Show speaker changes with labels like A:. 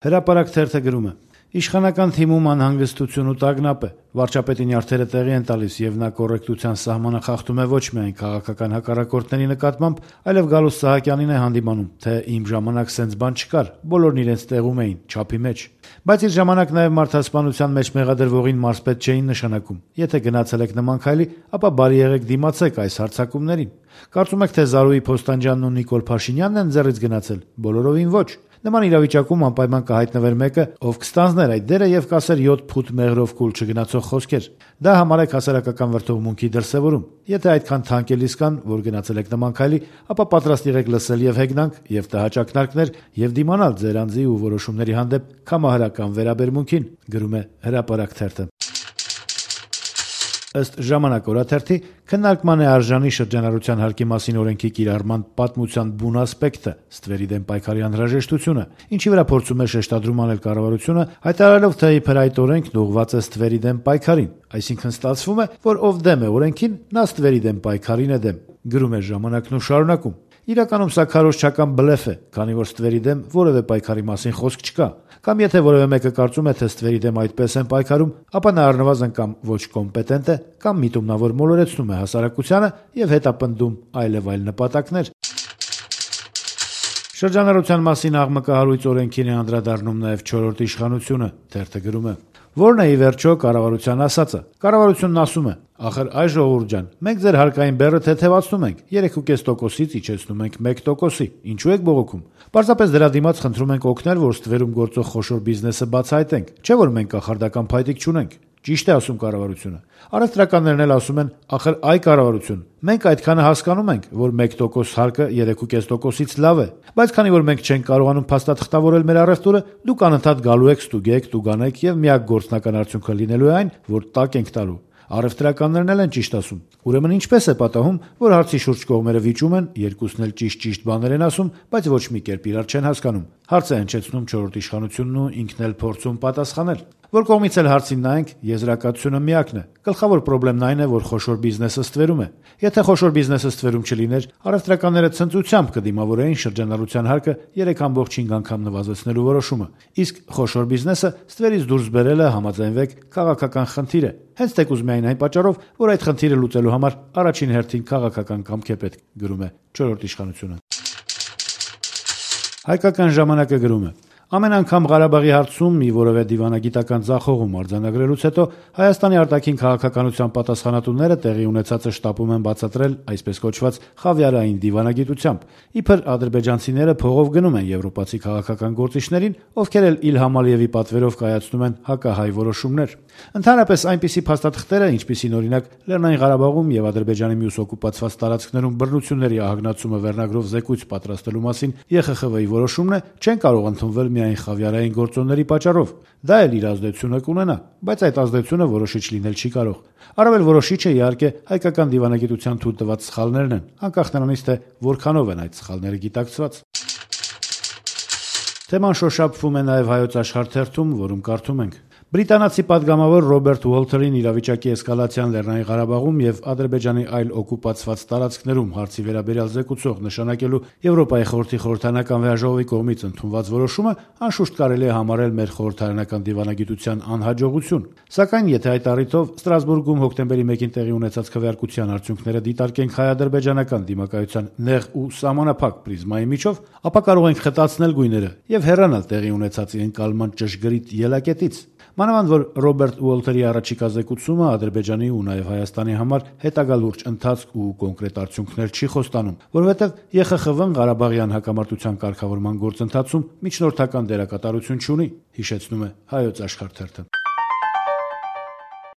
A: Հրապարակ թերթը գրում է. Իշխանական թիմում անհանգստություն ու տագնապ է։ Վարչապետի նյարդերը տեղի են տալիս, եւ նա կոռեկտության սահմանը խախտում է ոչ միայն քաղաքական հակառակորդների նկատմամբ, այլև Գալուստ Սահակյանին է հանդիմանում, թե իմ ժամանակ սենց բան չկար, բոլորն իրենց տեղում էին, չափի մեջ։ Բայց իր ժամանակ նաեւ մարդասպանության մեջ մեղադրվողին մարզպետ չէին նշանակում։ Եթե գնացել եք նման քայլի, ապա բարի եղեք դիմացեք այս հարձակումներին։ Կարծում եք, թե Զարուհի Փոստանջյանն ու Նիկոլ Փաշինյանն են ձեռից գնացել։ Բոլորովին ոչ։ Նման իրավիճակում անպայման կհայտնվեր մեկը, ով կստանձներ այդ դերը եւ կասեր 7 փուտ մեղրով կուլ չգնացող խոսքեր։ Դա համարեք հասարակական վրդովմունքի դրսեւորում։ Եթե այդքան թանկելիս կան, որ գնացել եք նման քայլի, ապա պատրաստ եղեք լսել եւ հեգնանք, եւ տհաճակնարկներ, եւ դիմանալ ձեր անձի ու որոշումների հանդեպ կամահարական վերաբերմունքին, գրում է Հրապարակ թերթը։ Ըստ Ժամանակ օրաթերթի, քննարկման է արժանի շրջանառության հարկի մասին օրենքի կիրառման պատմության բուն ասպեկտը, ստվերի դեմ պայքարի անհրաժեշտությունը, ինչի վրա փորձում է շեշտադրում անել կառավարությունը, հայտարարելով, թե իբր այդ օրենքն ուղղված է ստվերի դեմ պայքարին, այսինքն ստացվում է, որ ով դեմ է օրենքին, նա ստվերի դեմ պայքարին է դեմ, գրում է Ժամանակն ու շարունակում. Իրականում սա քարոզչական բլեֆ է, քանի որ ստվերի դեմ որևէ պայքարի մասին խոսք չկա, կամ եթե որևէ մեկը կարծում է, թե ստվերի դեմ այդպես են պայքարում, ապա նա առնվազն կամ ոչ կոմպետենտ է, կամ միտումնավոր մոլորեցնում է հասարակությանը եւ հետապնդում այլեւ այլ նպատակներ։ Շրջանառության մասին աղմկահարույց օրենքին է անդրադառնում նաեւ 4-րդ իշխանությունը, թերթը գրում է. Որն է ի վերջո կառավարության ասածը։ Կառավարությունն ասում է. ախր այ ժողովուրդ ջան, մենք ձեր հարկային բեռը թեթևացնում ենք, 3.5%-ից իջեցնում ենք 1%-ի, ինչու եք բողոքում։ Պարզապես դրա դիմաց խնդրում ենք օգնել, որ ստվերում գործող խոշոր բիզնեսը բացահայտենք, չէ՞ որ մենք կախարդական փայտիկ չունենք։ Ճիշտ է ասում կառավարությունը։ Առևտրականներն էլ ասում են, ախր այ կառավարություն, մենք այդքանը հասկանում ենք, որ 1% հարկը 3.5%-ից լավ է, բայց քանի որ մենք չենք կարողանում փաստաթղթավորել մեր առևտուրը, դուք անընդհատ գալու եք, ստուգեք, տուգանեք եւ միակ գործնական արդյունքը լինելու է այն, որ տակ ենք տալու։ Առևտրականներն էլ են ճիշտ ասում։ Ուրեմն ինչպես է պատահում, որ հարցի շուրջ կողմերը վիճում են, երկուսն էլ ճիշտ բաներ են ասում, բայց ոչ մի կերպ իրար չեն հասկանում։ Հարց է հնչեցնում 4-րդ իշխանությունն ու ինքն էլ փորձում պատասխանել։ Որ կողմից էլ հարցին նայենք, եզրակացությունը միակն է։ Գլխավոր խնդիրն այն է, որ խոշոր բիզնեսը ստվերում է։ Եթե խոշոր բիզնեսը ստվերում չլիներ, առևտրականները ցնծությամբ կդիմավորեին շրջանառության հարկը 3.5 անգամ նվազեցնելու որոշումը։ Իսկ խոշոր բիզնեսը ստվերից դուրս բերելը, համաձայնվեք, քաղաքական խնդիր է։ Հենց թեկուզ միայն այն պատճառով, որ այդ խնդիրը լուծելու համար առաջին հերթին քաղաքական կամք է պետք, գրում է 4-րդ իշխանությունը։ Հայկական ժամանակը գրում է. Ամեն անգամ Ղարաբաղի հարցում մի որևէ դիվանագիտական ձախողում արձանագրելուց հետո Հայաստանի արտաքին քաղաքականության պատասխանատուները տեղի ունեցածը շտապում են բացատրել այսպես կոչված խավիարային դիվանագիտությամբ։ Իբր ադրբեջանցիները փողով գնում են եվրոպացի քաղաքական գործիչներին, ովքեր էլ Իլհամ Ալիևի պատվերով կայացնում են հակահայ որոշումներ։ Ընդհանրապես այնպիսի փաստաթղթերը, ինչպիսին օրինակ Լեռնային Ղարաբաղում եւ Ադրբեջանի մյուս օկուպացված տարածքներում բռնությունների ահագնացումը վերնագրով զեկույց պատրաստելու մասին ԵԽԽՎ-ի որոշումն է, չեն կարող ընդունվել միայն խավիարային գործոնների պատճառով։ Դա էլ իր ազդեցությունը կունենա, բայց այդ ազդեցությունը որոշիչ լինել չի կարող։ Առավել որոշիչը իհարկե հայկական դիվանագիտության թույլ տված սխալներն են, անկախ նրանից թե որքանով են այդ սխալները գիտակցված։ Թեման շոշափվում է նաև Հայոց Աշխարհ թերթում, որում կարդում ենք. Բրիտանացի падգամավոր Ռոբերտ Ուոլթերին իրավիճակի էսկալացիան Լեռնային Ղարաբաղում եւ Ադրբեջանի այլ օկուպացված տարածքներում հարցի վերաբերյալ զեկուցող նշանակելու Եվրոպայի խորհրդի խորհրդարանական վեհաժողովի կողմից ընդունված որոշումը անշուշտ կարելի է համարել մեր խորհրդարանական դիվանագիտության անհաջողություն։ Սակայն եթե այդ առիթով Ստրասբուրգում հոկտեմբերի 1-ին տեղի ունեցած քվեարկության արդյունքները դիտարկենք հայ-ադրբեջանական դիմակայության նեղ ու սահմանափակ պրիզմայի միջով, ապա կարող ենք խտացնել գույները եւ հեռանալ տեղի ունեցածի ընկալման ճշգրիտ ելակետից։ Մանավանդ որ Ռոբերտ Ուոլթերի առաջիկա զեկուցումը Ադրբեջանի ու նաև Հայաստանի համար հետագա լուրջ ընթացք ու կոնկրետ արդյունքներ չի խոստանում, որովհետև ԵԽԽՎ-ն Ղարաբաղյան հակամարտության կարգավորման գործընթացում միջնորդական դերակատարություն չունի, հիշեցնում է Հայոց Աշխարհ թերթը։